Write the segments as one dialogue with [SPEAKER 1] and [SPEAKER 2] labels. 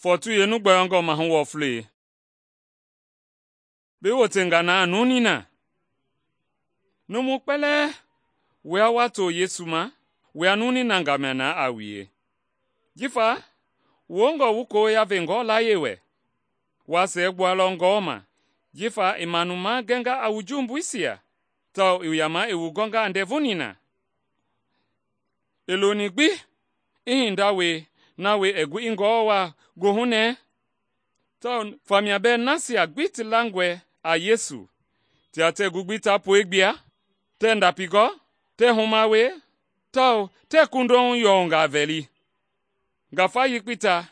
[SPEAKER 1] Fɔɔtu yeenu gbɔyɔngɔ mahu wɔflei. Bi wotenga na nunii na. Numu kpɛlɛɛ wua wa to Yesu ma, wua nunii na gamia na a wue. Jifa wu wongɔ wu koya ve Ngewɔ layie wɛ. Wa siɛgbualɔ Ngewɔ ma, jifa i manu magɛnga a wu jumbuisia, tawao i yama i wu gɔnga a ndɛvu nina. I loni gbi i hinda wie na wie i gui i Ngewɔ waa goohunɛɛ, tawao famia bɛɛ nasia gbi ti langɔe a Yesu tia tɛɛ gu gbi ta pue gbia, tɛɛ ndapi gɔ, tɛɛ huma wie, tawao tɛɛ kunduhu yɔngaa vɛli. Ngafa yekpei ta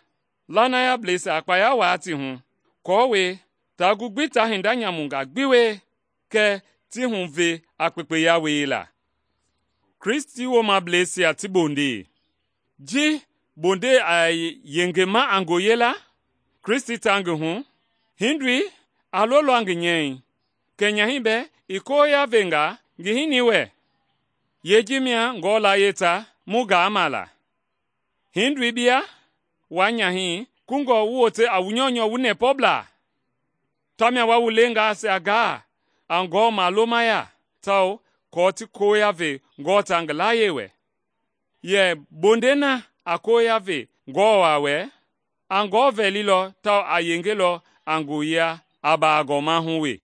[SPEAKER 1] lanayableisia a kpaya waa ti hu, aako taa gu gbi ta hinda nyamungaa gbi wie, kɛɛ ti huve a kpekpeya wiela. Kristi woomableisia ti bondei. Ji bondei a yengema a ngoye la, Kristi ta ngi hu, hindoi a lolɔ ngi nyɛi, kɛ nyahɛi bɛɛ i koya venga ngi hinii wɛ. Yeeji mia Ngewɔ layie ta mu gaama la. Hindoi bia, waa nyahɛi kungɔ wu wote a wu nyɔunyɔ wu nɛpɔblaa. Tamia wa wu leengaisia gaa a Ngewɔ malomaya, tawao aako ti koya ve Ngewɔ ta ngi layie wɛ. Yɛ bondei na a koya ve Ngewɔ waa wɛ, a Ngewɔ vɛlilɔ tawao a yengelɔ a ngoya a baagɔma hu we.